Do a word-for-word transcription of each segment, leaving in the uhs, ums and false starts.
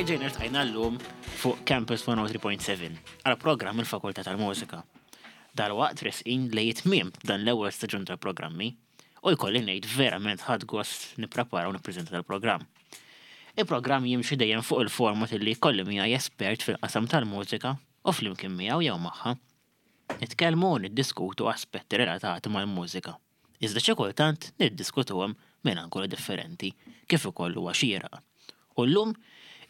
Erġajna ltqajna llum fuq Campus mija u tlieta punt seba' għal programm il-Fakultà tal-Mużika. Dal-waqt resqin lejn tmiem dan l-ewwel staġun tal-programmi u jkolli ngħid verament ħadt gost nipprepara u nippreżenta tal-programm. Il-programm jimxi dejjem fuq il-format illi jkolli miegħi espert fil-qasam tal-mużika u flimkien miegħu jew magħha nitkellmu u niddiskutu aspetti relatati mal-mużika. Iżda xi kultant niddiskutuhom minn angoli differenti, kif ukoll huwa xieraq. U llum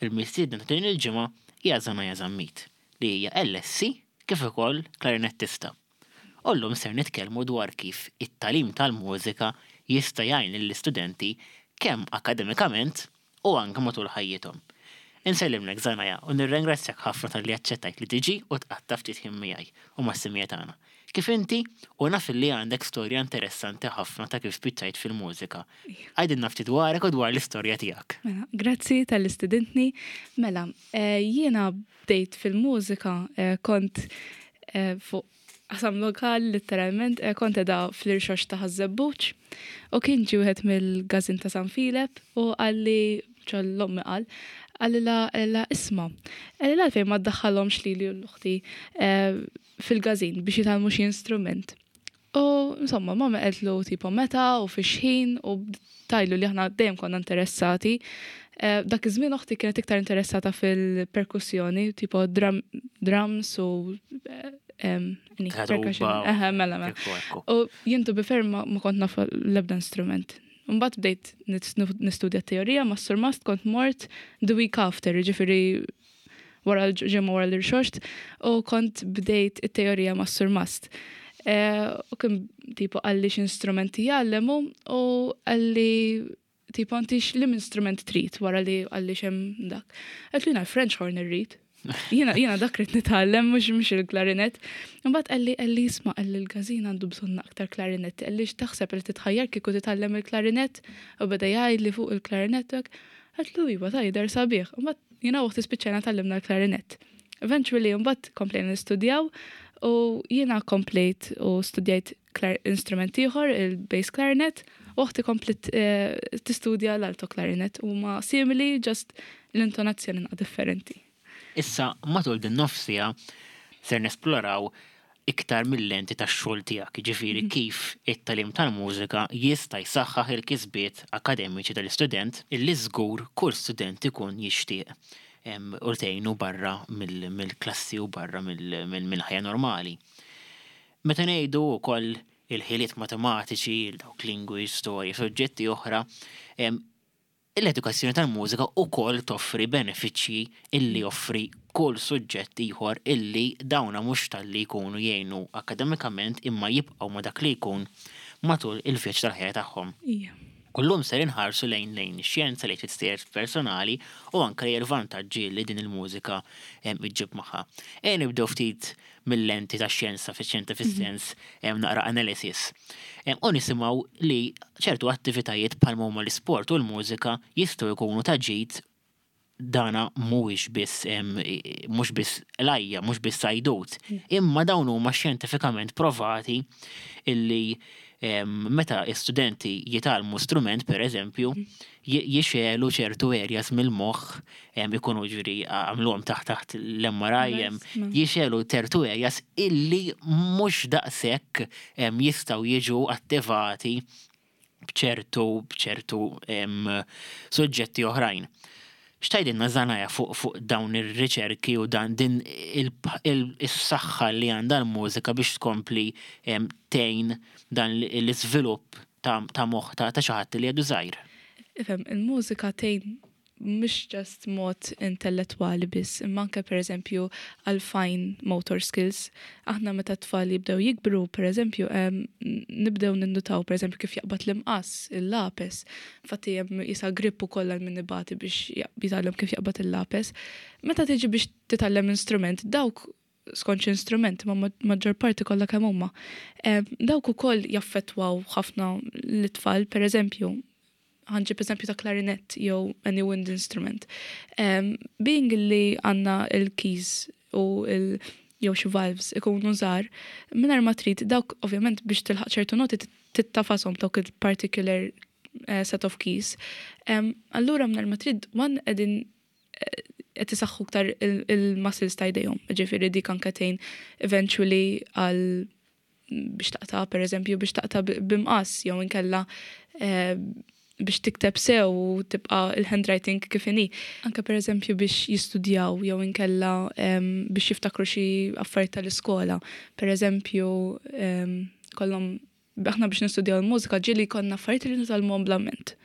il-mistiedna ta' din il-ġimgħa hija Zanaja Zammit, li hija L S C kif ukoll klarinettista. U llum ser nitkellmu dwar kif it-tagħlim tal-mużika jista' jgħin lill-istudenti kemm akademikament u anke matul ħajjithom. Insellimlek, Zanaja, u nirringrazzjak ħafna talli aċċettajt li tiġi u tqatta' ftit ħin miegħi u mas-semmiegħa tagħna. Kif inti u naf li għandek storja interessanti ħafna ta' kif spiċċajt fil-mużika. Għidilna ftit dwarek u dwar l-istorja tiegħek. Mela, grazzi talli stedintni. Mela, eh, jiena bdejt fil-mużika eh, kont eh, fuq qasam lokal, literalment, eh, kont edha fl-Irxoxt ta' Ħaż-Żebbuġ u kien ġie wieħed mill-Gazin ta' San Filep u qalli, ċol-lommi qal, qalli la, la isma', qalli la għalfejn ma ddaħħalhomx lili u l-uħti eh, fil-gazin biex jitgħallmu xi instrument. U insomma, mama qaltlu tipo meta u fi xħin u tajlu li aħna dejjem konna interessati. Eh, Dak iż-żmien oħti kienet iktar interessata fil-perkussjoni, tipo drum, drums u eh, em, any Karuba. Percussion. Eħe, mela, mela. Ekku, ekku. U jien to be fair ma, ma kont naf l-ebda instrument. Mbagħad bdejt nis- nistudja teorija ma' surmast, kont mort the week after, ġifieri wara l-ġimgħa wara l-Irxoxt, u kont bdejt it-teorija ma' surmast. Eh, U kien tipo qalli x'instrumenti jgħallemu u qalli tipo inti x'lim instrument trid, wara li qalli x'hemm dak. Għedtlu jiena l-French horn irrid. Jiena jiena dak rrid nitgħallem, mhux mhux il-klarinet. Imbagħad qalli qalli isma', qalli l-gazin għandu bżonn aktar klarinet. Qalli x'taħseb, li titħajjar kieku titgħallem il-klarinet, u beda jgħid li fuq il-klarinet hekk. Għedtlu iva, ta' jidher sabiħ. Imbagħad jiena u oħti spiċċajna tgħallimna l-klarinet. Eventually mbagħad komplejna nistudjaw u jiena komplejt u studjajt klar- instrument ieħor, il-bass clarinet, u oħti komplet eh, tistudja l-alto clarinet, u ma simili, just l-intonazzjoni naqra differenti. Issa, matul din nofs siegħa ser nesploraw iktar mill-lenti tax-xogħol tiegħek, ġifieri kif it-tagħlim tal-mużika jista' jsaħħaħ il-kisbiet akademiċi tal-istudent, illi żgur kull student ikun jixtieq em, u tgħinu barra mill- mill-klassi u barra mill- mill- mill-ħajja normali. Meta ngħidu wkoll il-ħiliet matematiċi, dawk lingwi, storja, soġġetti oħra, em, l-edukazzjoni tal-mużika ukoll toffri benefiċċji illi joffri kull suġġett ieħor, illi dawna mhux talli jkunu jgħinu akademikament imma jibqgħu ma dak li jkun matul il-vjaġġ tal-ħajja tagħhom. Ija. Kullum ser inħarsu lejn lejn ix-xjenza, lejn l personali u anke lejn il-vantaġġi li din il-mużika em, iġġib magħha. E nibdew ftit mill-lenti ta' xjenza, fi xjenza fis-sens em, naqra analysis. Em, U nisimgħu li ċertu attivitajiet bħal huma l-isport u l-mużika jistgħu jkunu ta' ġid. Dana mhuwiex biss em, mhux biss lajja, mhux biss sajdut, imma dawn huma xjentifikament provati illi em, meta studenti jitgħallmu strument, per eżempju, ji- jixegħlu ċertu areas mill-moħħ, em, ikunu ġiri għamluhom taħt taħt l-M R I, em, Nice, ma. jixegħlu ċertu areas illi mhux daqshekk em, jistgħu jiġu attivati bċertu bċertu em, suġġetti oħrajn. X'tgħidilna, Zanaja, fuq fuq dawn ir-riċerki u dan din il-saħħa li għandha l-mużika biex tkompli em, tgħin dan l-iżvilupp ta' ta' moħħ ta' ta' xi ħadd li għadu żgħir? Ifhem, il-mużika tgħin mhux just mod intellettwali biss, imma anke per eżempju għal fine motor skills. Aħna meta t-tfal jibdew jikbru, per eżempju, em, nibdew ninnutaw per eżempju kif jaqbad l-imqas, il-lapes. Infatti hemm jisa grip ukoll għal min ibati biex jitgħallem kif jaqbad il-lapes. Meta tiġi biex titgħallem instrument, dawk skont instrument, ma maġġor parti kollha kemm huma. Em, Dawk ukoll jaffettwaw ħafna l-tfal, per eżempju, ħa nġib eżempju ta' clarinet jew any wind instrument. Um, being li għandna il-keys u il jew xi valves ikunu żgħar, mingħajr ma trid dawk ovvjament biex tilħaq ċertu noti tittagħfashom dawk il-particular uh, set of keys. Um, allura mingħajr ma trid one qegħdin eh, qed isaħħu iktar il-muscles ta' jdejhom. Ġifieri dik anke tgħin eventually għal biex taqta', per eżempju, biex taqta' b'imqass jew inkella eh, biex tikteb sew u tibqa' il-handwriting kif inhi. Anke per eżempju biex jistudjaw jew inkella biex jiftakru xi affarijiet tal-iskola. Per eżempju, kollhom aħna biex nistudjaw il-mużika ġieli konna affarijiet li nitgħallmuhom bl-amment.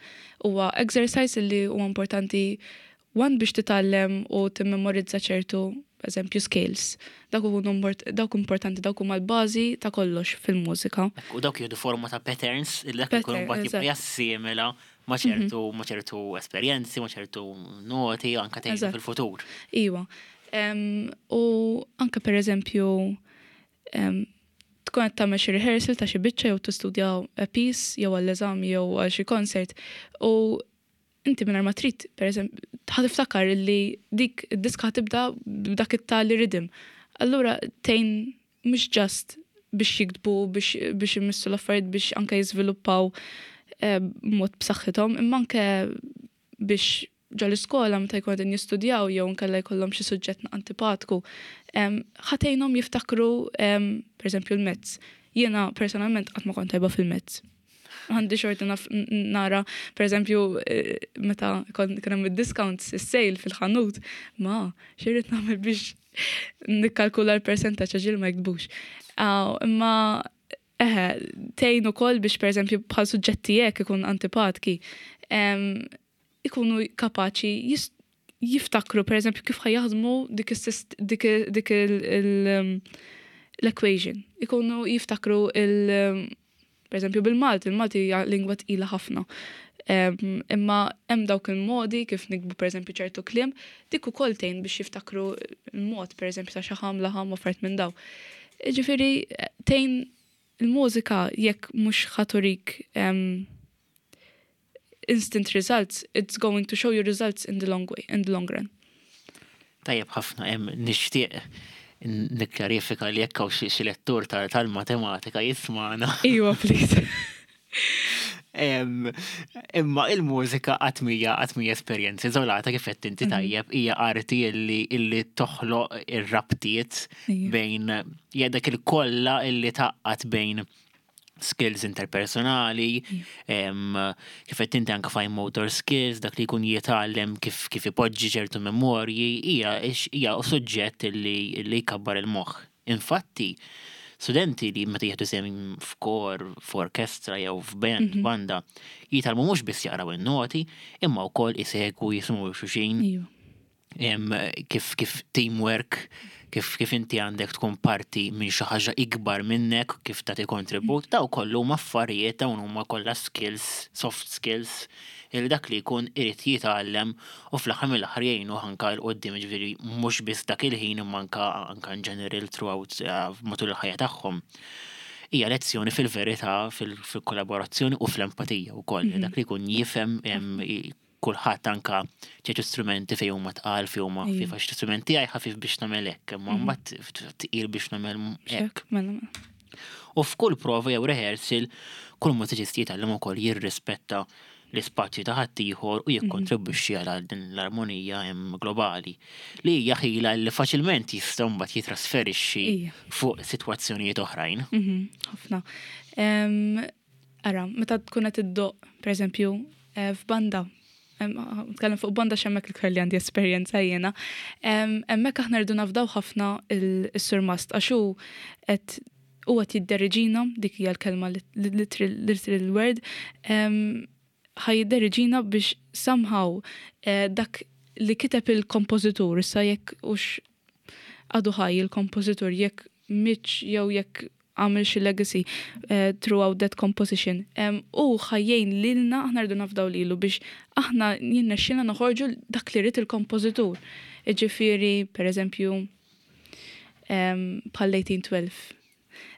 Huwa exercise li huwa importanti one biex titgħallem u timmemorizza ċertu, eżempju, scales. Dawk dawk importanti, dawk huma l-bażi ta' kollox fil-mużika. U dawk jieħdu forma ta' patterns il dak ikun mbagħad jibqa' jassimila ma' ċertu ma' ċertu esperjenzi, ma' ċertu noti anke tgħin fil-futur. Iwa. U anke per eżempju tkun qed tagħmel xi rehearsal ta' xi biċċa jew tistudja a piece jew għall-eżami jew għal xi concert u inti minn ma trid, per eżempju, ħa tiftakar li dik id-diska tibda b'dak it-tali rhythm. Allura tgħin mhux just biex jiktbu, biex biex imissu l-affarijiet, biex anke jiżviluppaw eh, mod b'saħħithom, imma anke biex ġo l-iskola meta jkunu qegħdin jistudjaw jew nkella jkollhom xi suġġett antipatku, ħa tgħinhom jiftakru, per eżempju, l-maths. Jiena personalment qatt ma kont tajba fil-maths. Għandi xorti nara, per eżempju, eh, meta kien hemm id-discounts, is-sale fil-ħanut, ma x'irrid nagħmel biex nikkalkula l-percentaġġ ġil ma jiktbux. Imma eħe, tgħin ukoll biex, per eżempju, bħal suġġetti hekk ikun antipatki, ikunu kapaċi jiftakru, per eżempju, kif ħa jaħdmu dik dik l-equation. Ikunu jiftakru il- per eżempju, bil-Malti, il-Malti hija lingwa tqila ħafna. Imma hemm dawk il-modi kif niktbu, per eżempju, ċertu kliem, dik ukoll tgħin biex jiftakru il-mod, per eżempju, ta' xaħam, laħam u affarijiet minn daw. Ġifieri tgħin il-mużika. Jekk mhux ħa turik instant results, it's going to show you results in the long way, in the long run. Tajjeb ħafna. Hemm nixtieq nikklarifika li jekk hawn xi lettur tal-matematika jismana. Iwa, please. Imma il-mużika qatt mhija qatt mhija esperjenza iżolata, kif qed inti mhm. tajjeb, hija arti illi illi toħloq ir-rabtiet bejn dak il-kolla illi tgħaqqad bejn skills interpersonali, kif qed inti anke fine motor skills, dak li jkun jitgħallem kif kif ipoġġi ċertu memorji, hija hija suġġett illi illi jkabbar il-moħħ. Infatti, studenti li meta jieħdu sehem f'kor, f'orkestra jew f'band, mhm. banda, jitgħallmu mhux biss jaqraw in-noti, imma wkoll isegwu, jisimgħu xulxin. Kif kif teamwork, kif kif inti għandek tkun parti minn xi ħaġa ikbar minnek, kif tagħti kontribut, daw kollu huma affarijiet, dawn huma kollha skills, soft skills, il dak li jkun irid jitgħallem u fl-aħħar mill-aħħar jgħinu anka 'l quddiem, ġifieri mhux biss dak il-ħin imma anka anka in general throughout eh, matul il-ħajja tagħhom. Hija lezzjoni fil-verità fil-kollaborazzjoni u fl-empatija wkoll. Dak li jkun jifhem kulħadd, anka ċertu strumenti fejn huma tqal, fejn huma ħfif, għax strumenti għaj ħafif biex nagħmel hekk, imma mhm. mbagħad tqil biex nagħmel hekk. Mela, mela. U f'kull prova jew rehearsal, kull mużiċist jitgħallem ukoll jirrispetta l-ispazju ta' ħaddieħor u jikkontribwixxi għal din l-armonija hemm globali li hija ħila li faċilment jista' mbagħad jitrasferixxi fuq sitwazzjonijiet oħrajn. Mhm, ħafna. Ara, meta tkun qed iddoqq, pereżempju, eh, f'banda, nitkellem fuq banda x'hemmhekk l-iktar li għandi esperjenza jiena. Hemmhekk aħna rridu nafdaw ħafna il-surmast għax hu qed huwa jidderiġina, dik hija l-kelma, literal word, ħa jidderiġina biex somehow eh, dak li kiteb il-kompożitur, issa jekk hux għadu ħaj il-kompożitur, jekk mietx jew jekk għamil xi legacy uh, throughout that composition. Um, u ħa jgħin lilna, aħna rridu nafdaw lilu biex aħna jirnexxilna noħorġu dak li ried il-kompożitur. Ġifieri, per eżempju, um, bħal eighteen twelve.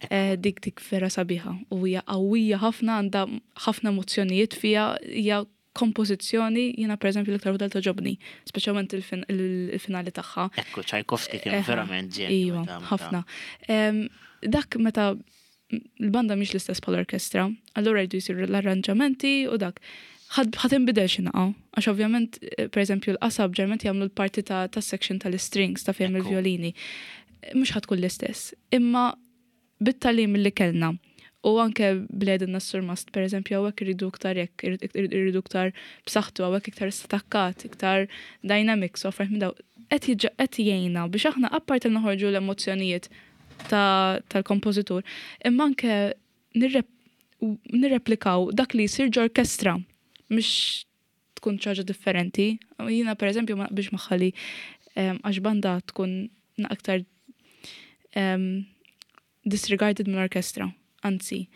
Uh, dik dik vera sabiħa u hija qawwija ħafna, għandha ħafna emozzjonijiet fiha, hija kompożizzjoni jiena per eżempju l-iktar waħda togħġobni, speċjalment il-finali tagħha. Ekku, Tchaikovsky kien verament ġenju. Iva, ħafna. Dak meta l-banda mhix l-istess bħal orkestra, allura jridu jsiru l-arranġamenti u dak. Ħa tinbidel xi naqa, għax ovvjament, eh, per eżempju, l-qasab ġeneralment jagħmlu l-parti ta' ta' section tal-strings ta' fejn Ekku. il-violini. Mhux ħa tkun l-istess. Imma bit-tagħlim li kellna u anke bledin s-surmast, per eżempju, hawnhekk irridu iktar hekk, irridu iktar b'saħħtu, hawnhekk iktar stakkat, iktar dynamics, u affarijiet minn daw. Qed jiġa- qed jgħinna biex aħna apparti li noħorġu l-emozzjonijiet ta- tal-kompożitur, imma anke nirrep- nirreplikaw dak li jsir ġorkestra, mhux tkun ħaġa differenti. Jiena per eżempju ma naqbilx magħha li em, għax banda tkun na aktar em, disregarded minn orkestra. Anzi,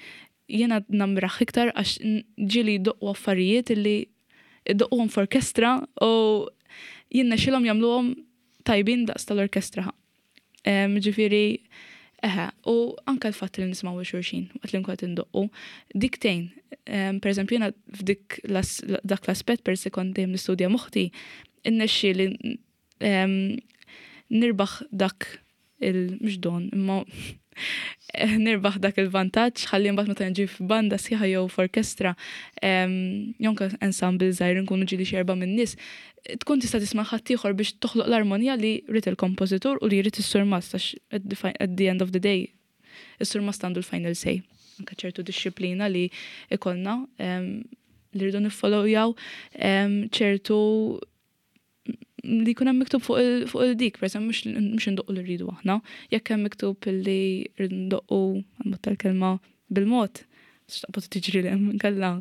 jiena namraħ iktar għax n- ġieli jdoqqu affarijiet illi jdoqquhom f'orkestra u jiena xilhom jagħmluhom tajbin daqs tal-orkestra. Em, Ġifieri, eħe, u anka l-fatt li nismaw xulxin waqt li nkun qed indoqqu, dik tgħin. Em, Per eżempju, jiena f'dik las- dak l-aspett per se kont dejjem nistudja m'oħti, innexxi li em, nirbaħ dak il mhux don, imma nirbaħ dak il-vantaġġ ħalli mbagħad meta nġi f'banda sħiħa jew f'orkestra em, jew anke ensemble żgħir nkunu ġieli xi erba' min-nies, tkun tista' tisma' ħaddieħor biex toħloq l-armonija li jrid il-kompożitur u li jrid is-surmast għax at the fi- at the end of the day is-surmast għandu l-final say. Anke ċertu dixxiplina li ikollna em, li rridu niffollowjaw em, ċertu li jkun hemm miktub fuq il- fuq il-dik, per eżempju, mhux mhux indoqqu li rridu aħna. Jekk hemm miktub li rridu ndoqqu għal tal-kelma bil-mod, x'taqbad tiġri l hemm inkella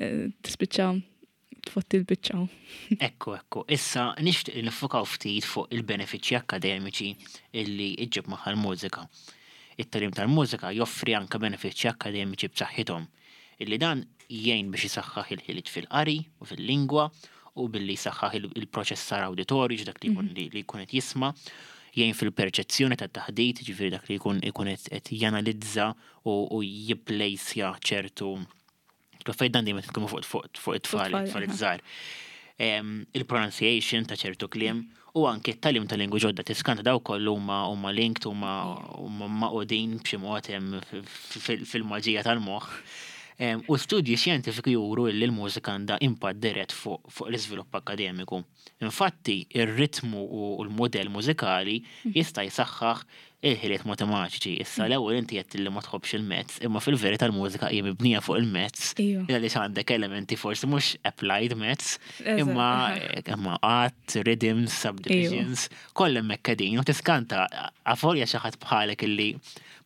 eh, tispiċċa tfotti l-biċċa. Ekku, ekku. Issa nixtieq li nifokaw ftit fuq il-benefiċċji akkademiċi illi iġġib magħha l-mużika. It-tagħlim tal-mużika joffri anke benefiċċji akkademiċi b'saħħithom illi dan jgħin biex isaħħaħ il-ħiliet fil-qari u fil-lingwa u billi jsaħħaħ il- il-proċessar awditorju dak li jkun li li jkun qed jisma' jgħin fil-perċezzjoni tat-taħdit, ġifieri dak li jkun ikun qed qed janalizza u u jipplejsja ċertu Fejn dan dejjem tkunu fuq fuq fuq it-tfal, tfal, it-tfal aha. iż-żgħar. Em, Il-pronunciation ta' ċertu kliem u anke t-tagħlim ta' lingwi ġodda tiskanta daw kollu huma huma linked huma huma maqudin b'xi mod hemm fil-maġija tal-moħħ. Em, U studji xjentifiku juru li l-mużika għandha impatt dirett fuq fuq l-iżvilupp akkademiku. Infatti, ir-ritmu u l-modell mużikali jista' jsaħħaħ il-ħiliet matematiċi. Issa l-ewwel inti qed li ma tħobbx il-maths, imma fil-verità l-mużika hija mibnija fuq il-maths. Iva. Għaliex għandek elementi forsi mhux applied maths, Eżatt, imma aha. imma għat, rhythms, subdivisions, kollha hemmhekk qegħdin u tiskanta avolja xi ħadd bħalek illi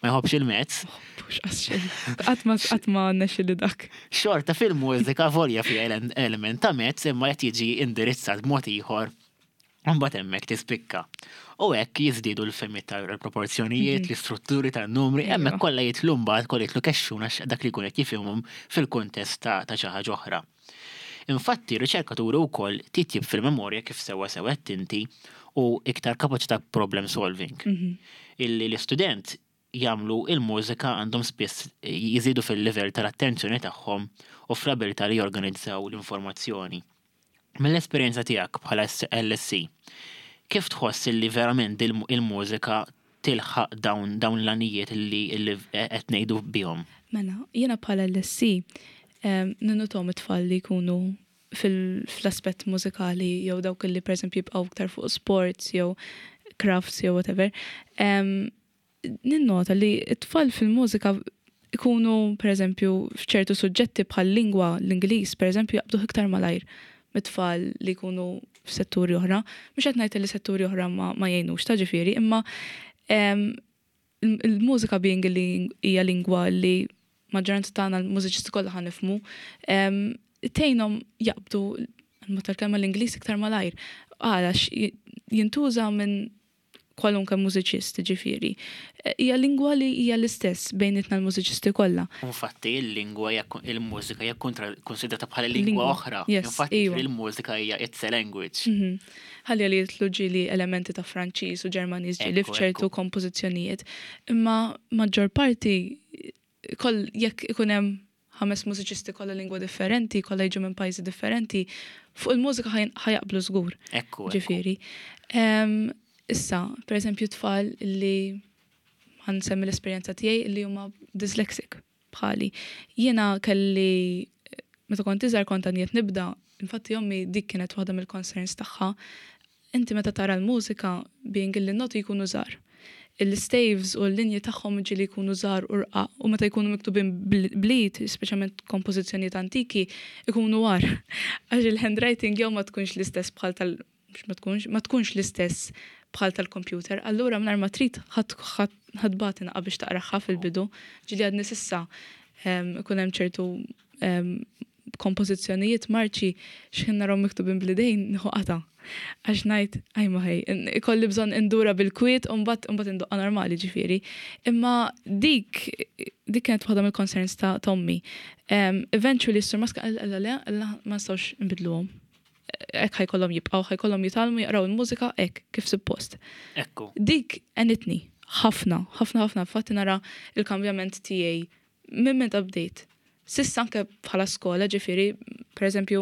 ma jħobbx il-maths, Mhux għax Qatt ma qatt ma nexxi li dak. xorta fil-mużika avolja fi element ta' maths imma qed jiġi indirizzat b'mod ieħor Mbagħad hemmhekk tispikka. U hekk jiżdiedu l-fehmiet tal-proporzjonijiet, l-istrutturi tan-numri, Iva. hemmhekk kollha jitlu mbagħad kollha jitlu kexxun għax dak li jkun qed jifhimhom fil-kuntest ta' ta' xi ħaġa oħra. Infatti, riċerkaturi wkoll titjib fil-memorja kif sewwa sew qed inti u iktar kapaċità problem solving. Illi l-istudent jagħmlu il-mużika għandhom spiss jiżidu fil-livell tal-attenzjoni tagħhom u fl-abilità li jorganizzaw l-informazzjoni. Mill-esperjenza tiegħek bħala L S C, kif tħoss illi verament il- il-mużika tilħaq dawn dawn l-għanijiet illi illi qed ngħidu bihom? Mela, jiena bħala L S C ninnotahom it-tfal li jkunu fil- fl-aspett mużikali jew dawk li per eżempju jibqgħu iktar fuq sports jew crafts jew whatever. Em, Ninnota li t-tfal fil-mużika ikunu per eżempju f'ċertu suġġetti bħal lingwa l-Ingliż per eżempju jaqbdu iktar malajr mit-tfal li jkunu f'setturi oħra. Mhux qed ngħid li setturi oħra ma, ma jgħinux ta' ġifieri, imma em, il- il-mużika being li hija lingwa li maġġoranza tagħna l-mużiċisti kollha ħa nifhmu, em, tgħinhom jaqbdu l tal-kelma l-Ingliż iktar malajr. Għalax jintuża minn kwalunke mużiċist ġifieri. Eh, Hija lingwa li hija l-istess bejnietna l-mużiċisti kollha. Infatti il-lingwa hija il-mużika hija kontra- konsidrata bħala lingwa Lingwa, oħra. yes, Infatti iva. il-mużika hija it's a language. Mhm. Ħalli li jitlu ġieli elementi ta' Franċiż u Ġermaniż ġieli Ekku, f'ċertu ekku. kompożizzjonijiet. Imma maġġor parti koll jekk ikun hemm ħames mużiċisti kollha lingwa differenti, kollha jiġu minn pajjiżi differenti, fuq il-mużika ħaj- ħa jaqblu żgur. Ekku, ekku. Ġifieri. Em, Issa, per eżempju, tfal li ħa nsemmi l-esperjenza tiegħi li huma dyslexic bħali. Jiena kelli meta kont iżgħar kont għadni qed nibda, infatti ommi dik kienet waħda mill-concerns tagħha. Inti meta tara l-mużika, being li noti jkunu żgħar. Il-staves u l-linji tagħhom ġieli jkunu żgħar u rqaq u meta jkunu miktubin bl-id, speċjalment kompożizzjonijiet antiki, ikunu agħar. Għax il-handwriting jew ma tkunx l-istess bħal tal ma tkunx ma tkunx l-istess bħal tal-computer. Allura mingħajr ma trid ħa tbati naqra biex taqraha fil-bidu. Ġieli għadni s'issa ikun hemm ċertu kompożizzjonijiet, marċi, x'ħin narahom miktubin bl-idejn nieħu qatgħa. Għax ngħid, aj ma ħej, ikolli bżonn indura bil-kwiet u mbagħad mbagħad indoqqa normali, ġifieri. Imma dik dik kienet waħda mill-concerns ta' ommi. Eventually s-surmast qal le, ma nistgħux nbidluhom. Hekk ħa jkollhom jibqgħu, ħa jkollhom jitgħallmu jaqraw il-mużika hekk kif suppost. Ekku. Dik għenitni ħafna, ħafna, ħafna, fatti nara il-kambjament tiegħi minn meta bdejt. S'issa anke bħala skola, ġifieri, per eżempju,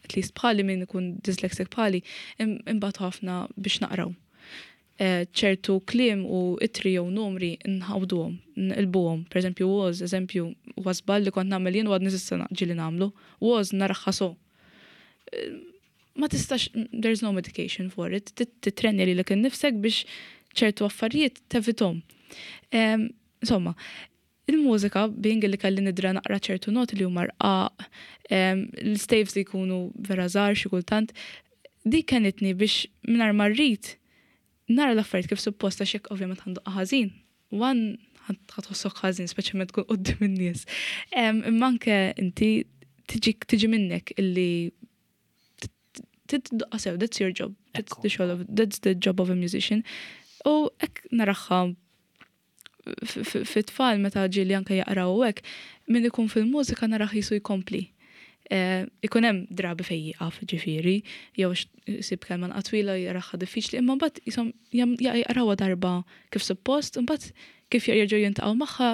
at least bħali, min ikun dyslexic bħali, imbagħad ħafna biex naqraw. Eh, ċertu kliem u ittri jew numri nħawduhom, nqilbuhom. Per eżempju, was, eżempju, was li kont nagħmel jien u għadni s'issa ġieli nagħmlu. Was naraha so. Eh, ma tistax, there's no medication for it. Titrenja lilek innifsek biex ċertu affarijiet tevitahom. Insomma, il-mużika, being li kelli nidra naqra ċertu noti li huma rqaq, l-staves li jkunu vera żgħar xi kultant, dik għenitni biex mingħajr ma rrid nara l-affarijiet kif supposta, xek ovvjament għandu ħażin. One, ħa tħossok ħażin, speċjalment tkun quddiem in-nies. Imma anke inti tiġi minnek illi tiddoqqa sew, that's your job. That's the, of, that's the job of a musician. U hekk naraha fit-tfal meta ġieli anke jaqraw u hekk, min ikun fil-mużika narah jisu jkompli. Eh, ikun hemm drabi fejn jieqaf, ġifieri, jew isib kelma twila jaraha diffiċli, imma mbagħad jisom jaqrawha darba kif suppost, imbagħad kif jerġgħu jiltaqgħu magħha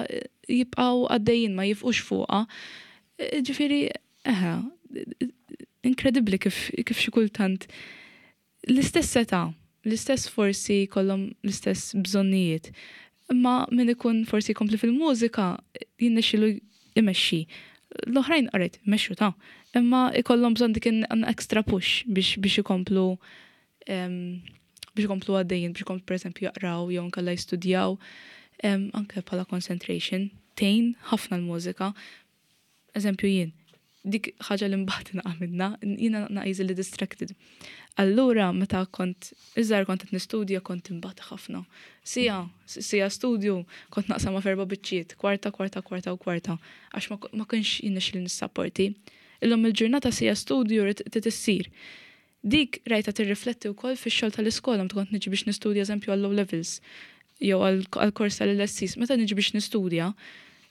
jibqgħu għaddejjin, ma jieqfux fuqha. Eh, ġifieri, eħe, inkredibbli kif kif xi kultant l-istess età, l-istess forsi kollhom l-istess bżonnijiet. Imma min ikun forsi jkompli fil-mużika jirnexxielu imexxi. L-oħrajn qaret, mexxu ta' imma ikollhom bżonn dik an extra push biex biex ikomplu biex ikomplu għaddejjin, biex ikomplu, per eżempju, jaqraw jew nkella jistudjaw, anke bħala concentration, tgħin ħafna l-mużika. Eżempju jien, dik ħaġa li mbagħad naqa' minna, jiena naqa' easily distracted. Allura meta kont iżgħar kont qed nistudja, kont imbagħad ħafna. Sija, sija studju kont naqsama f'erba' biċċiet, kwarta, kwarta, kwarta u kwarta, għax ma kienx jirnexxili nissapporti. Illum il-ġurnata sija studju trid issir. Dik rajta tirrifletti wkoll fix-xogħol tal-iskola meta kont niġi biex nistudja, eżempju, għall-O levels jew għall-kors tal-L S Cs, meta niġi biex nistudja,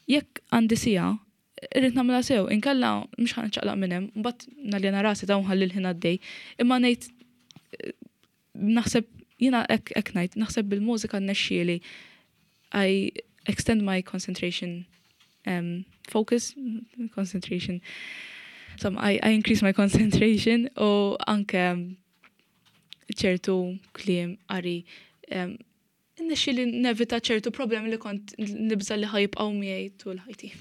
jekk għandi sija, irrid nagħmilha sew, inkella mhux ħa niċċaqlaq minn hemm, mbagħad naljena rasi ta' nħalli l-ħin għaddej. Imma ngħid, naħseb jiena hekk hekk ngħid, naħseb bil-mużika rnexxieli I extend my concentration, um, focus, concentration. So I, I increase my concentration u anke ċertu kliem, qari, um, li nevita ċertu problemi li kont nibża li ħa jibqgħu miegħi tul ħajti.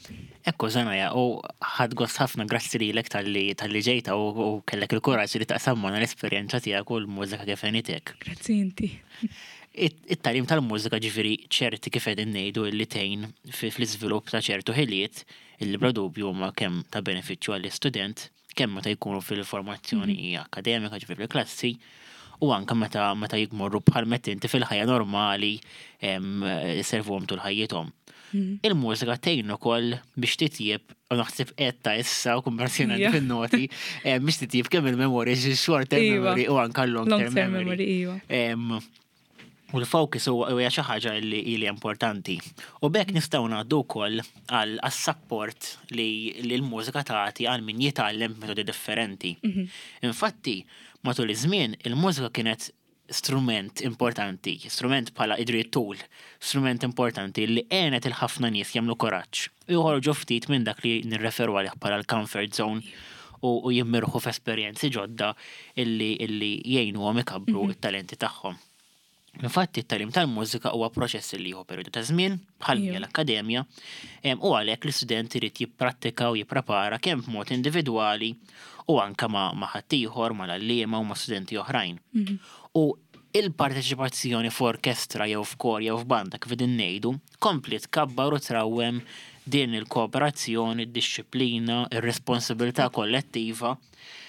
Ekku, Zanaja, u ħadt gost ħafna, grazzi lilek talli talli ġejta u u kellek il-kuraġġ li taqsam magħna l-esperjenza tiegħek u l-mużika kif għenitek. Grazzi inti. It-tagħlim tal-mużika, ġifieri, ċerti kif qegħdin ngħidu li tgħin fi- fl-iżvilupp ta' ċertu ħiliet illi bla dubju huma kemm ta' benefiċċju għall-istudent, kemm meta jkunu fil-formazzjoni akademika, ġifieri fil-klassi, u anke meta meta jmorru bħal meta inti fil-ħajja normali em, servuhom tul ħajjithom. Il-mużika tgħin ukoll biex titjib, u naħseb qed ta' issa u konversazzjoni Ija. fin-noti, em, biex titjib kemm il-memorji, short term Iva. memory u anke long Long term term memory. memory, iva. Em, U l-focus huwa huwa xi ħaġa li li importanti. U b'hekk nistgħu ngħaddu wkoll għal support li li l-mużika tagħti għal min jitgħallem metodi differenti. Infatti, matul iż-żmien il-mużika kienet strument importanti, strument bħala idri tool, strument importanti li għenet il-ħafna nies jagħmlu kuraġġ. U joħorġu ftit minn dak li nirreferu għalih bħala l-comfort zone u, u jimmirħu f'esperjenzi ġodda illi illi jgħinuhom ikabbru it-talenti tagħhom. Infatti, it-tagħlim tal-mużika huwa proċess li jieħu perjodu ta' żmien bħal Ija. l-akkademja em, u għalhekk l-istudent irid jipprattika u jipprepara kemm b'mod individwali u anka ma' ma' ħaddieħor, mal-għalliema u ma' studenti oħrajn. U il-parteċipazzjoni f'orkestra jew f'kor jew f'banda, kif qegħdin ngħidu, kompli tkabbar u trawwem din il-kooperazzjoni, id-dixxiplina, ir-responsabilità kollettiva.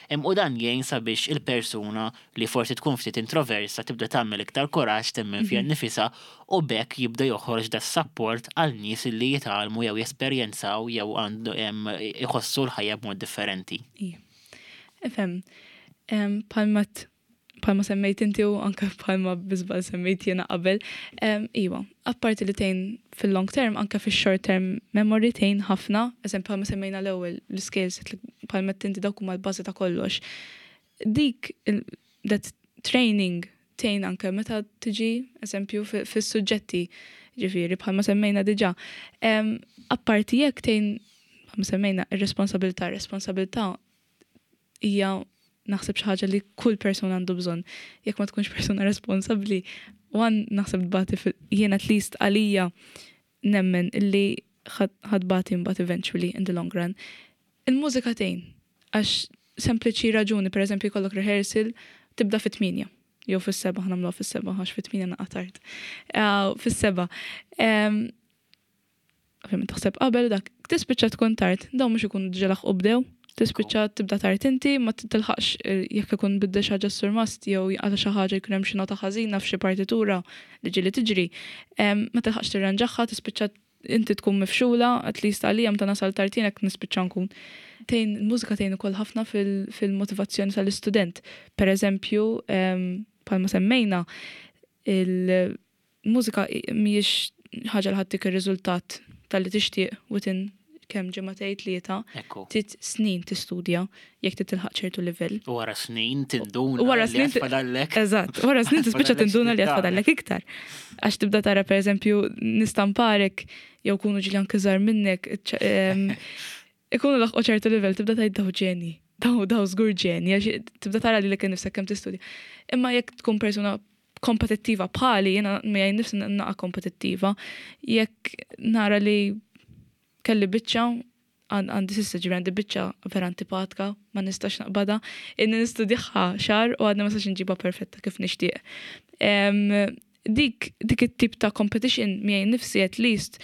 Em, U dan jgħin sabiex il-persuna li forsi tkun ftit introversa tibda tagħmel iktar kuraġġ, temmen fiha nnifisha, u b'hekk jibda joħroġ da support għal nies li jitgħallmu jew jesperjenzaw jew għandu em, iħossu l-ħajja b'mod differenti. Ija. Ifhem, em, bħalma t- bħalma semmejt inti u anka bħalma bi żball semmejt jiena qabel, em, iwa, apparti li tgħin fil-long term, anka fil-short term memory tgħin ħafna, eżempju bħalma semmejna l-ewwel l-skills, bħalma inti dawk huma l-bażi ta' kollox. Dik il- that training tgħin anke meta tiġi, eżempju, fi- fis-suġġetti, ġifieri bħalma semmejna diġà. Em, Apparti jekk tgħin, bħalma semmejna, ir-responsabilità, responsabilità hija naħseb xi ħaġa li kull persuna għandu bżonn. Jekk ma tkunx persuna responsabbli, one naħseb tbati fil- jien at least għalija nemmen illi ħa tbati mbagħad eventually in the long run. Il-mużika tgħin għax sempliċi raġuni, per eżempju, jkollok rehearsal tibda fit-tmienja. Jew fis-seba', ħa nagħmluha fis-seba' għax fit-tmienja naqa' tard. Uh, Fis-seba'. Em, Ovvjament taħseb qabel dak, tispiċċa tkun tard, dawn mhux ikunu diġà laħqu bdew, tispiċċa tibda tard inti, ma tilħaqx eh, jekk ikun bidda xi ħaġa s-surmast jew għala xi ħaġa jkun hemm xi nota ħażina f'xi partitura li ġieli tiġri, em, ma tilħaqx tirranġaħħa, tispiċċa inti tkun mifxula, at least għalija meta nasal tard jien hekk nispiċċa nkun. Tgħin, il-mużika tgħin ukoll ħafna fil- fil-motivazzjoni tal-istudent. Per eżempju, em, bħalma semmejna, il-mużika mhijiex ħaġa li ħa ttik ir-riżultat tal-li tixtieq within kemm ġimagħtejn, tlieta, Ekku. trid snin tistudja jekk trid tilħaq ċertu livell. U wara snin tinduna U wara li snin ti- fadallek. Eżatt, wara snin tispiċċa Fadallek tinduna li x'titgħallem. fadallek iktar. Għax tibda tara, per eżempju, nistamparek jew kunu ġili anke żgħar minnek, ċ- em, ikunu laħqu ċertu livell, tibda tgħid, "Daw ġeni, daw daw żgur ġeni," għax tibda tara li lilek nifsek kemm tistudja. Imma jekk tkun persuna kompetittiva bħali, jiena miegħi nifsi naqa kompetittiva, jekk nara li kelli biċċa, għan- għandi s'issa, ġifieri għandi biċċa vera antipatika, ma nistax naqbada, inni nistudjaha xahar u għadni ma nistax nġibha perfetta kif nixtieq. Em, Dik, dik it-tip ta' competition miegħi nifsi at least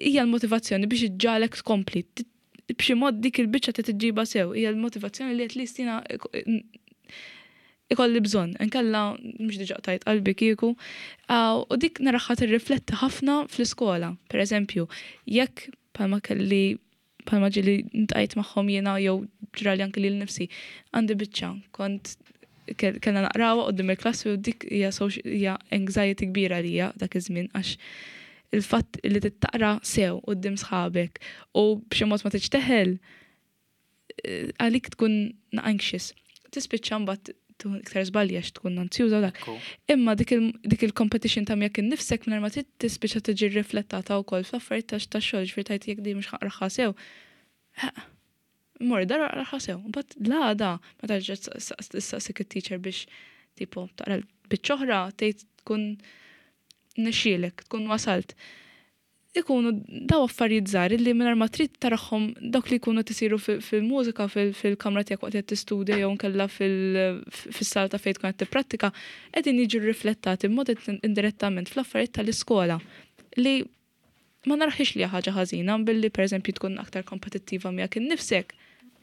hija l-motivazzjoni biex iġġagħlek tkompli. T- B'xi mod dik il-biċċa trid iġġibha sew, hija l-motivazzjoni li at least jiena ikolli bżonn, inkella mhux diġà tajt qalbi kieku. Ah, U dik naraha tirrifletti ħafna fl-iskola. Per eżempju, jekk bħalma kelli bħalma ġieli ltqajt magħhom jiena jew ġrali anke lil nifsi, għandi biċċa, kont kell- kellna naqrawha quddiem il-klassi u dik hija soci- hija anxiety kbira lija dak iż-żmien għax il-fatt li tittaqra sew quddiem sħabek u b'xi mod ma tiġteħel eh, għalik tkun anxious. Tispiċċa mbagħad tkun iktar żbalji għax tkun anzjuża u dak. Ekku. Imma dik il- dik il-competition ta' miegħek innifsek mingħajr ma trid tispiċċa tiġi riflettata wkoll fl-affarijiet ta' tax-xogħol, ġifieri tgħid jekk di mhux ħa naqraha sew. Mor dar aqraha sew. Mbagħad l-għada meta ġġet tistaqsik it-teacher biex tipo taqra l-biċċa oħra, tgħid tkun nexxielek, tkun wasalt. Ikunu daw affarijiet żgħar li mingħajr ma trid tarahom dawk li jkunu tisiru fil-mużika fil-kamra tiegħek waqt qed tistudja jew nkella fis-sala ta' fejn tkun qed tipprattika, qegħdin jiġu riflettati b'mod indirettament fl-affarijiet tal-iskola li ma naraħiex li ħaġa ħażina billi, pereżempju, tkun aktar kompetittiva miegħek innifsek.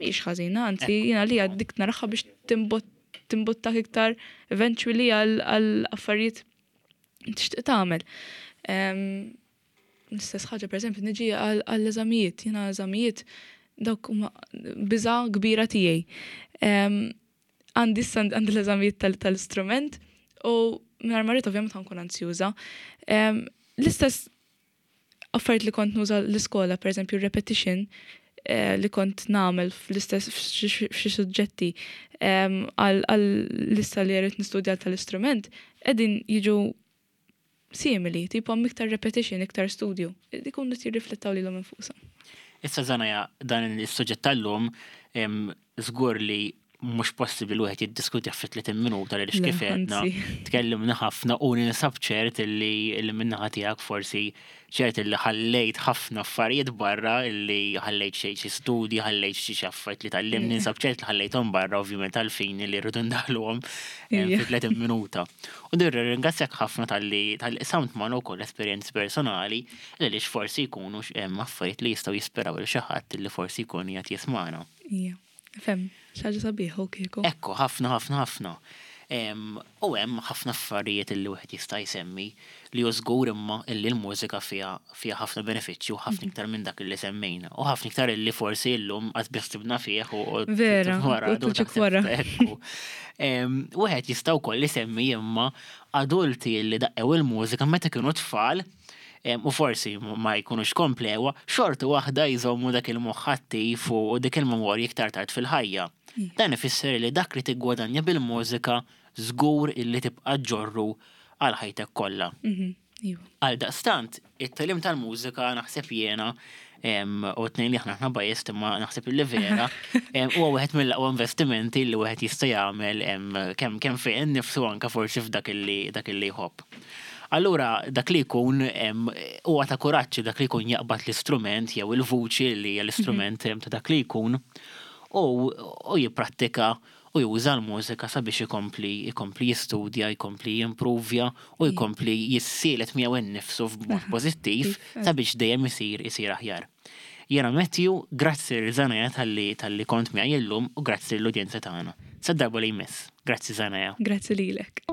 Mhix ħażina, anzi jiena li dik naraha biex timbuttak iktar eventually għal affarijiet tixtieq tagħmel. L-istess ħaġa, pereżempju, niġi għall-eżamijiet, jiena eżamijiet dawk huma biża kbira tiegħi. Għandi għandi l-eżamijiet tal-istrument u mingħajr ma rrid ovvjament nkun anzjuża. L-istess affarijiet li kont nuża l-iskola, pereżempju repetition, eh, li kont nagħmel fl-istess f'xi suġġetti għal-lista li rrid nistudja tal-istrument, qegħdin jiġu simili, tipo iktar repetition, iktar studju. Ikunu jirriflettaw lilhom infushom. Issa Zanaja, dan il-suġġett tal-lum, żgur li mhux possibbli wieħed jiddiskuti fi tletin minuta li Le, kif għedna anzi. tkellimna ħafna u ninsab ċert illi illi min-naħa tiegħek forsi ċert illi ħallejt ħafna affarijiet barra, illi ħallejt xi xi studji, ħallejt xi xi affarijiet li tgħallimt, ninsab ċert li ħallejthom barra, ovvjament għalfejn li rridu ndaħluhom eh, Ija. fi tletin minuta. U nirringrazzjak ħafna talli talli qsamt magħna wkoll esperjenzi personali li għaliex forsi jkunu hemm affarijiet li jistgħu jispiraw lil xi ħadd li forsi jkun qiegħed jismagħna. Ija. Fem, xi ħaġa sabiħa u kieku. Ekku, ħafna, ħafna, ħafna. Em, U hemm ħafna affarijiet illi wieħed jista' jsemmi li hu żgur imma illi l-mużika fiha fiha ħafna benefiċċju u ħafna iktar minn dak illi semmejna. U ħafna iktar illi forsi llum qatt biss ħsibna fih u u Vera, wara u tuġik wara. Ekku. Em, Wieħed jista' wkoll isemmi imma adulti li daqqew il-mużika meta kienu tfal em, u forsi ma jkunux komplewa, xorta waħda jżommu dak il-moħħ attiv u u dik il-memorja iktar tard fil-ħajja. Dan ifisser li dak li tiggwadanja bil-mużika żgur illi tibqa' ġorru għal ħajtek kollha. Mhm, Iva. Għal daqstant, it-tagħlim tal-mużika naħseb jiena em, u t-tnejn li aħna aħna biased, imma naħseb illi vera, em, huwa wieħed mill-aqwa investimenti li wieħed jista' jagħmel em, kemm kemm fejn nifsu, anka forsi f'dak illi dak illi jħobb. Allura dak li jkun em, huwa ta' kuraġġ dak li jkun jaqbad l-istrument jew il-vuċi li hija l-istrument em, ta' dak li jkun u, u jipprattika u juża l-mużika sabiex ikompli ikompli jistudja, jkompli jimprovja u jkompli jissielet miegħu innifsu f'mod pożittiv sabiex dejjem isir isir aħjar. Jiena Matthew, grazzi lil Zanaja talli talli kont miegħi illum u grazzi l-udjenza tagħna. Sa darba li jmiss. Grazzi, Zanaja. Grazzi lilek.